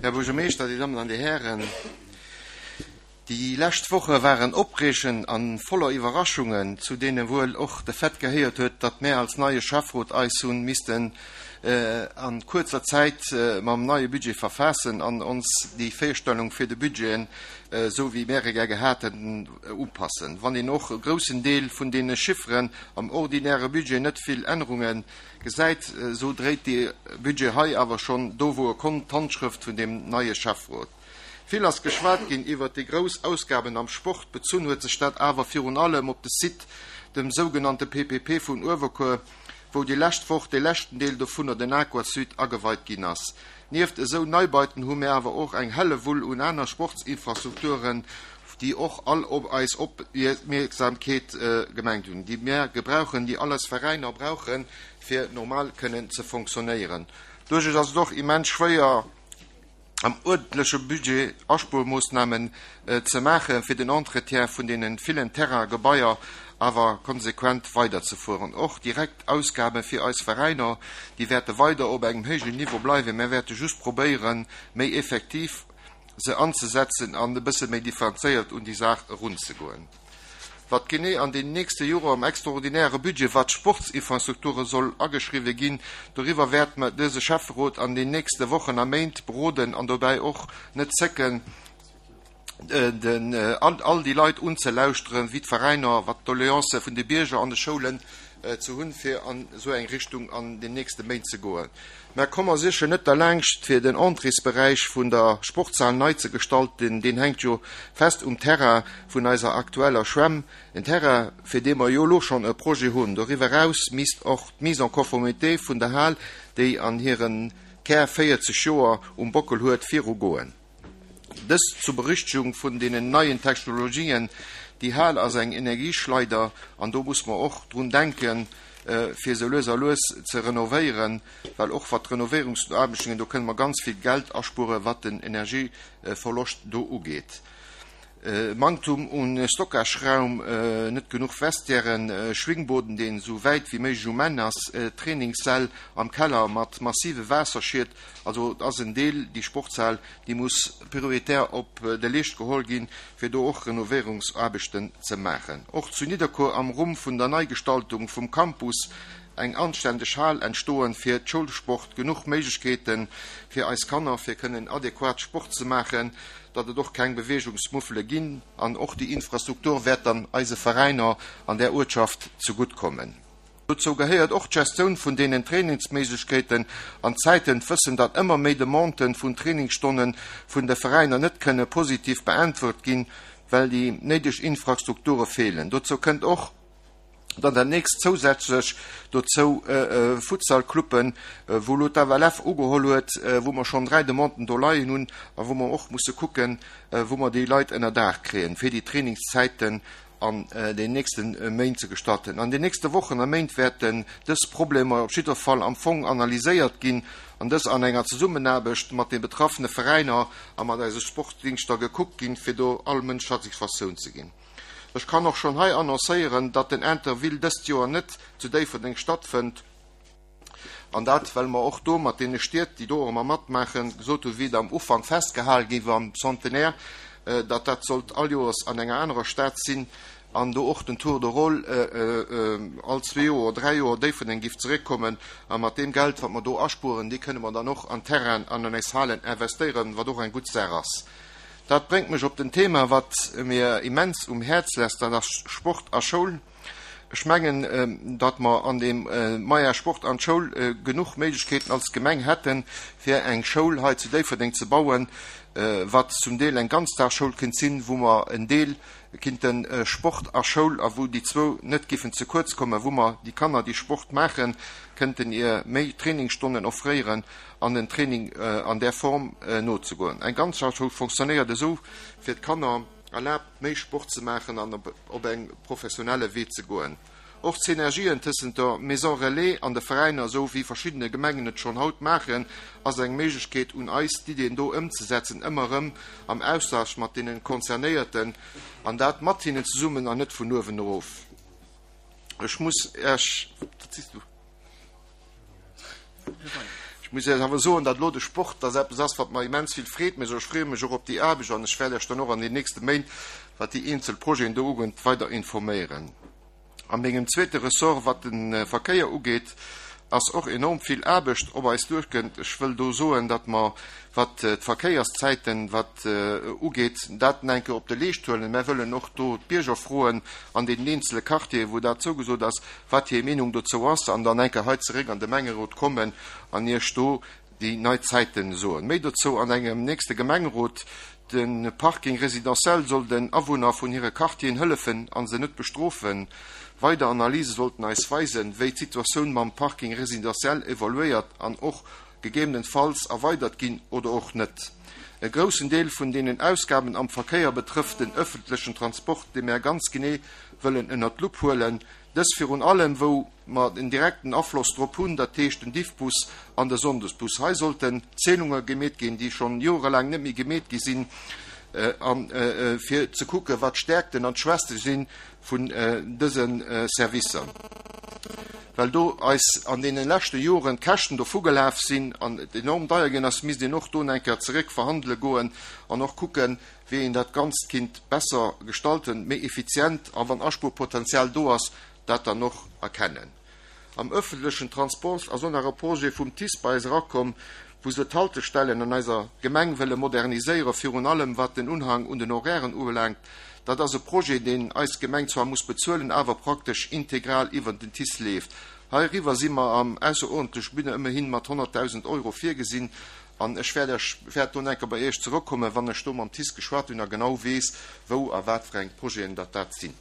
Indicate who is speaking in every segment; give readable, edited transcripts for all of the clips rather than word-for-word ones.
Speaker 1: Här Buergermeeschter, Dir Dammen an Dir Hären, déi lescht Woche waren opreegend an voller Iwwerraschungen, zu deene wuel och de Fait gehéiert huet, datt mär als neie Schäfferot eis hunn missten a kuerzer Zäit mam neie Budget verfaassen an ons déi Virstellung fir de Budgeten, esou wéi mär e gär gehat hätten, upassen. Wann een och e groussen Deel vun deene Chifferen am ordinäre Budget net vill Ännerunge gesäit, esou dréit dee Budget hei awer schonn do wou e konnt d'Handschrëft vun deem neie Schäfferot. Vill ass geschwat ginn iwwert déi grouss Ausgaben am Sport, bezunn huet sech dat awer virun allem op de Site, dem sougenannte PPP vun Uewerkuer, wou déi lescht Woch dee leschten Deel dovunner, den Aquasud, ageweit ginn ass. Nieft esou Neibauten hu mir awer och eng Hellewull un aner Sportsinfrastrukturen, déi och all op eis Opmierksamkeet gemengt hunn, déi mir gebrauchen, déi all eis Veräiner brauchen, fir normal kënnen ze fonctionnéieren. Doduerch ass et och immens schwéier, am uerdentleche Budget Aspuermoossnamen ze maachen, fir den Entretien vun deene villen Terrainen a Gebaier awer konsequent weiderzefueren. Och direkt Ausgabe fir eis Veräiner, déi wäerte weider op engem héijen Niveau bleiwen. Mär wäerte just probéieren, méi effektiv se anzesetzen an e bësse méi differenzéiert un déi Saach erunzegoen. Wat genee an den nächste Joer am extraordinäre Budget, wat d'Sportsinfrastrukture soll ageschriwwe ginn, doriwwer wäert mer dëse Schäfferot an den nächste Wochen a Méint beroden an dobäi och net zécken, den all déi Leit unzelauschteren, wéi d'Veräiner, wat d'Doleancë vun de Bierger an de Schoulen ze hunn, fir an esou eng Richtung an den nächste Méint ze goen. Mä komme mer sécher net derlaangscht, fir den Entréesberäich vun der Sportshal nei ze gestalten. Deen hänkt jo fest um Terrain vun eiser aktueller Schwämm, en Terrain, fir dee mer jo elo schonn e Projet hunn. Doriwwer eraus misst och d'Mise en conformité vun der Hal, déi an hire Kär 40 Joer um Bockel huet, virugoen. Dëst zur Berüchtegung vun deenen neien Technologien. Déi Hal ass eng Energieschleider an do muss mer och drun denken, fir se lues a lues ze renovéieren, well och wat d'Renovéierungsaarbechten, do kënne mer ganz vill Geld aspueren, wat den Energieverloscht do ugeet. Manktum un Stockageraum, net genuch Vestiairen, Schwingboden, deen esou wäit wéi méiglech um Enn ass, Trainingssäll am Keller mat massive Waasserschied, also et ass en Deel, déi Sportshal, déi muss prioritär op de Leescht geholl ginn, fir do och Renovéierungsaarbechten ze maachen. Och zu Nidderkuer am Rumm vun der Neigestaltung vum Campus eng anständeg Hal entstoen fir d'Schoulsport, genuch Méiglechkeete fir eis Kanner, fir kënnen adequat Sport ze maachen, datt et och keng Beweegungsmuffele ginn an och déi Infrastruktur wäert dann eise Veräiner an där Uertschaft zegutt kommen. Dozou gehéiert och d'Gestioun vun deenen Trainingsméiglechkeeten an Zäiten, d'Wëssen, datt ëmmer méi Demandë vun Trainingsstonne vun de Veräiner net kënne positiv beäntwert ginn, well déi néideg Infrastrukture feelen. Dozou kënnt och, Dann dat nächst zousätzlech dozou Futsalcluben, wou elo d'FLF ugeholl huet, wou mer schonn 3 Demanden do leien hunn a wou mer och musse kucken, wou mer déi Leit ënner Daach kréien, fir déi Trainingszäiten an den nächste Méint ze gestalten. An den nächste Wochen a Méint wäerten dës Problemer op jidder Fall am Fong analyséiert ginn an dës an enger Zesummenaarbecht mat de betraffene Veräiner a mat eise Sportdingschter gekuckt ginn, fir do all Mënsch Satisfaktioun ze ginn. Ech kann och schonn hei annoncéieren, datt den Interville dëst Joer net zu Déifferdeng stattfënnt, an dat well mer och do mat deene Stied, déi do och ëmmer matmaachen, gesot hunn, wéi et am Ufank festgehale gi war am Centenaire, datt dat sollt all Joers an enger anerer Stad sinn an do och den Tour de rôle all zwee Joer, dräi Joer Déifferdeng giff zeréckkommen. A mat deem Geld, wat mer do aspueren, dee kënne mer dann och an Terrainen an an eis Halen investéieren, wat och eng gutt Saach ass. Dat bréngt mech op den Thema, wat mir immens um Häerz lässt, dat ass Sport a Schoul. Ech mengen, datt mer an deem Maja Sport an d'Schoul genuch Méiglechkeeten als Gemeng hätten, fir eng Schoul hei zu Déifferdeng ze bauen, wat zum Deel eng Ganzdagsschoul kéint sinn, wou mer en Deel kinnte Sport a Schoul a wou déi zwou net giffen ze kuerz kommen, wou mer déi Kanner, déi Sport maachen, kënnten ier méi Trainingsstonnen offréieren an den Training an där Form nozegoen. Eng Ganzdagschoul fonctionnéiert esou fir d'Kanner erlaabt méi Sport ze maachen an op eng professionelle Wee ze goen. Och d'Synergien tëssent der Maison Relais an de Veräiner, esou wéi verschiddene Gemengen et schonn haut maachen, ass eng Méiglechkeet un eis d'Iddien do ëmzesetzen, ëmmer erëm am Austausch mat deene Concernéierten an dat mat hinnen zesummen an net vun uewen erof. Ech muss Iech. Ech muss Iech awer soen, datt elo de Sport, datt eppes ass, wat mer immens vill Freed mécht. Ech freeë mech och op déi Aarbecht an ech wäert Iech dann och an den nächste Méint, wat déi eenzel Projeten do ugeet, weider informéieren. A mengem zweete Ressort, wat de Verkéier ugeet, ass och enorm vill Aarbecht op eis duerkënnt. Ech wëll do soen, datt mer, wat d'Verkéierszäiten wat ugeet, dat eng Kéier op de Leescht huelen. Mär wëllen och do d'Bierger froen an deenen eenzele Quartieren, wou dat zougesot ass, wat hir Meenung dozou ass, an dann eng Kéier hei zeréck an de Gemengerot kommen an Iech do déi nei Zäiten soen. Méi dozou an engem nächste Gemengerot. De Parking résidentiel soll den Awunner vun hire Quartieren hëllefen a se net bestrofen. Weider Analyse sollten eis weisen, wéi d'Situatioun mam Parking résidentiel evoluéiert an och gegebenenfalls erweidert ginn oder och net. E groussen Deel vun deenen Ausgaben am Verkéier betrëfft den ëffentlechen Transport, dee mär ganz genee wëllen ënnert d'Lupp huelen, dës virun allem wou mer en direkten Afloss drop hunn, dat heescht den Diffbus an de Sonndesbus. Hei sollten Zählunge gemeet ginn, déi schonn jorelaang net méi gemeet gi sinn, a fir ze kucken, wat d'Stärkten an d'Schwächte si vun dëse Servicer, well do eis an deene leschte Joren d'Käschten dovugelaf sinn an et enorm deier ginn ass, misst een och do eng Kéier zeréck verhandele goen an och kucken, wéi een dat Ganzt kinnt besser gestalten, méi effizient a wann Aspuerpotenzial do ass, dat dann och erkennen. Am ëffentlechen Transport ass och nach e Projet vum TICE bei eis erakomm, wou se d'Haltestellen an eiser Gemeng wëlle moderniséieren, virun allem wat den Unhang un den Horairen ubelaangt. Dat ass e Projet, deen eis Gemeng zwar muss bezuelen, awer praktesch integral iwwert den TICE leeft. Heiriwwer si mer am ausseruerdentlech Budget ëmmerhin mat 100.000 Euro virgesinn an ech wäert Iech, wäert do enker bei Iech zerëckkommen, wann ech do mam TICE geschwat hunn a genau weess, wou a wat fir eng Projeten datt dat sinn.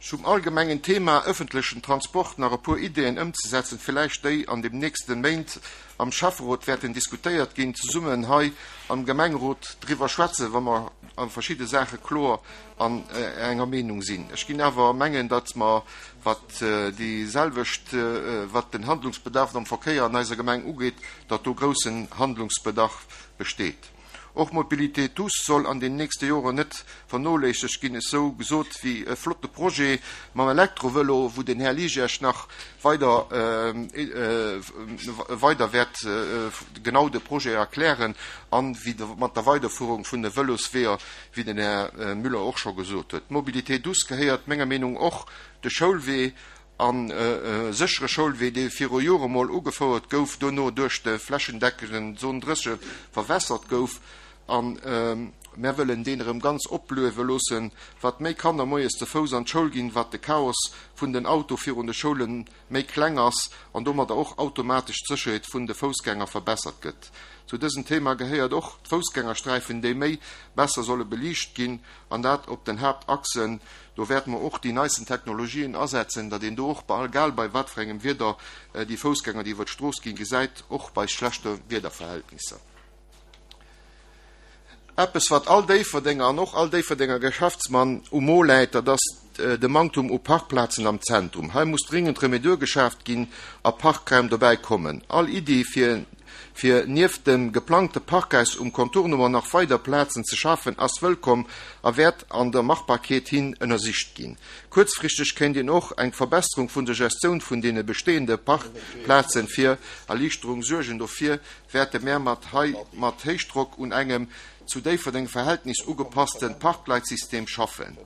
Speaker 1: Zum allgemengen Thema ëffentlechen Transport nach e puer Ideeën ëmzesetzen, villäicht déi an dem nächste Méint am Schäfferot wäerten diskutéiert ginn, zesummen hei am Gemengerot driwwer schwätzen, wa mer a verschidde Saache kloer an enger Meenung sinn. Ech ginn awer mengen, datt mer, wat déi selwecht, wat den Handlungsbedarf am Verkéier an eiser Gemeng ugeet, datt do groussen Handlungsbedarf besteet. Och Mobilité douce soll an den nächste Joren net vernoléissegt ginn, esou gesot wéi e flotte Projet mam Elektrovëlo, wou den Här Ligesch nach weider weider wäert genau de Projet erklären, an wéi mat der Weiderfuerung vun de Vëlosweeër, wéi den Här Müller och scho gesot huet. D'Mobilité douce gehéiert menger Meenung och de Schoulwee an e séchere Schoulwee, dee viru Jore mol ugefouert gouf, dono duerch de flächendeckenden Zone 30 verwässert gouf. A mär wëllen deen erëm ganz opliewe loossen. Wat méi Kanner moies ze Fouss an d'Schoul ginn, wat de Chaos vun den Auto virun de Schoule méi kleng ass an domadder och automatesch d'Sécherheet vun de Foussgänger verbessert gëtt. Zu dësem Thema gehéiert och d'Foussgängersträifen, déi méi besser solle beliicht ginn, an dat op den Haaptachsen. Do wäerte mer och déi neisten Technologien asetzen, datt een do och, egal bei wat fir engem Wieder, déi Foussgänger, déi iwwer d'Strooss ginn, gesäit, och bei schlechte Wiederverhältnisser. Eppes, wat all Déifferdenger an och all Déifferdenger Geschäftsmann um Mo läit, dat ass de Manktum u Parkplazen am Zentrum. Hei muss dringend Remedur geschaaft ginn a Parkraum dobäi kommen. All Iddi, fir Fir nieft dem geplangte Parkhaus um Contournement nach weider Plazen ze schafen, ass wëllkomm a wäert an der Machbarkeet hin ënnersicht ginn. Kuerzfristeg kéint een och eng Verbesserung vun der Gestioun vun deene bestehende Parkplazen fir Erliichterung suergen. Dofir wäerte mär mat hei mat Héichdrock un engem zu Déifferdeng Verhältnis ugepasste Parkleitsystem schaffen.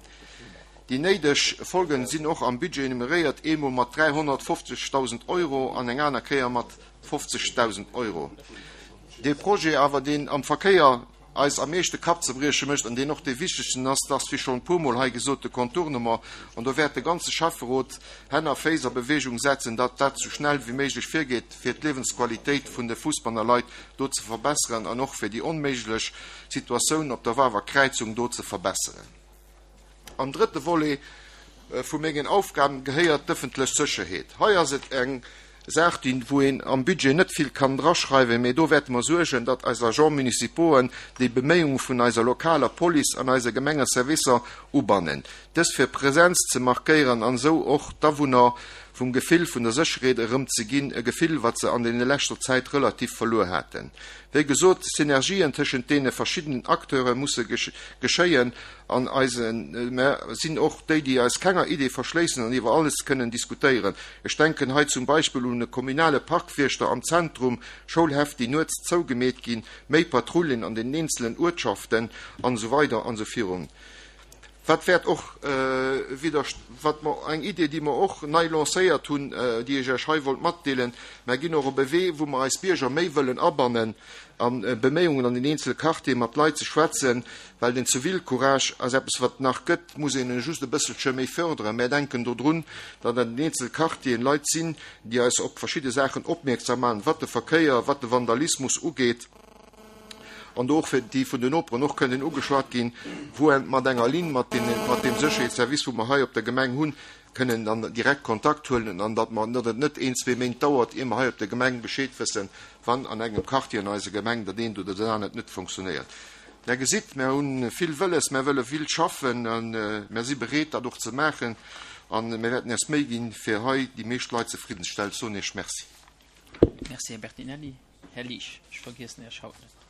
Speaker 1: Déi néideg Folgen sinn och am Budget enumeréiert, eemol mat 350.000 Euro an eng aner Kéier mat 50.000 Euro. Dee Projet awer, deen am Verkéier eis am meeschte Kappzebrieche mécht an deen och dee wichtegsten ass, dat ass, wéi schonn e puermol hei gesot, de Contournement. An do wäert de ganze Schäfferot Hänn a Féiss a Bewegung setzen, datt dat esou schnell wéi méiglech virgeet, fir d'Liewensqualitéit vun de Fussbanner Leit do ze verbesseren an och fir déi onméiglech Situatioun op der Wawer Kräizung do ze verbesseren. Am drëtte Volet vu mengen Aufgaben gehéiert d'ëffentlech Sécherheet. Hei ass et eng Saach, déi, wou een am Budget net vill kann draschreiwen, mee do wäerte mer suergen, datt eis Agents municipauxen déi Beméiunge vun eiser lokaler Police an eise Gemengeservicer ubannen, dës fir Präsenz ze markéieren an esou och d'Awunner. vum Gefill vun der Sécherheet erëm ze ginn, e Gefill, wat se an deene leschter Zäit relativ verluer haten. Wéi gesot, Synergien tëschent deene verschiddenen Acteure musse geschéien an eise mer sinn och déi, déi eis kenger Idee verschléissen an iwwer alles kënnen diskutéieren. Ech denken hei zum Beispill un e kommunale Parkwiechter am Zentrum, Schoulhäff, déi nuets zougemeet ginn, méi Patrullen an den eenzelen Uertschaften an esou weider an esou virun. Wat wäert och widder, wat mer, eng Idee, déi mer och nei lancéiert hunn, déi ech Iech hei wollt matdeelen, Mer ginn och op e Wee, wou mer eis Bierger méi wëllen abannen a Beméiungen an den eenzele Quartiere mat Leit ze schwätzen, well den Zivilcourage ass eppes, wat et nach gëtt, muss een e just e bësselche méi förderen. Mär denken do drun, datt an den eenzele Quartieren Leit sinn, déi eis op verschidde Saachen opmierksam maachen, wat de Verkéier, wat de Vandalismus ugeet. an do och fir déi vun den Noperen och kënnen ugeschwat ginn, wou en mat enger Linn mat deene, mat deem Sécherheetsservice, wou mer hei op der Gemeng hunn, kënnen dann direkt Kontakt huelen an datt mer, datt et net een, zwee Méint dauert, ier mer hei op der Gemeng Bescheed wëssen, wann an engem Quartier an eiser Gemeng dat eent oder dat anert net funktionéiert. Der gesitt, mer hu vill wëlles, mer wëlle vill schaffen a mer si bereet, dat och ze maachen a mer wäerten eis Méi ginn, fir hei déi meescht Leit zefridden ze stellen. Ech soen Iech Merci.
Speaker 2: Merci, Här Bertinelli. Här Liesch, ech vergiessen Iech haut net.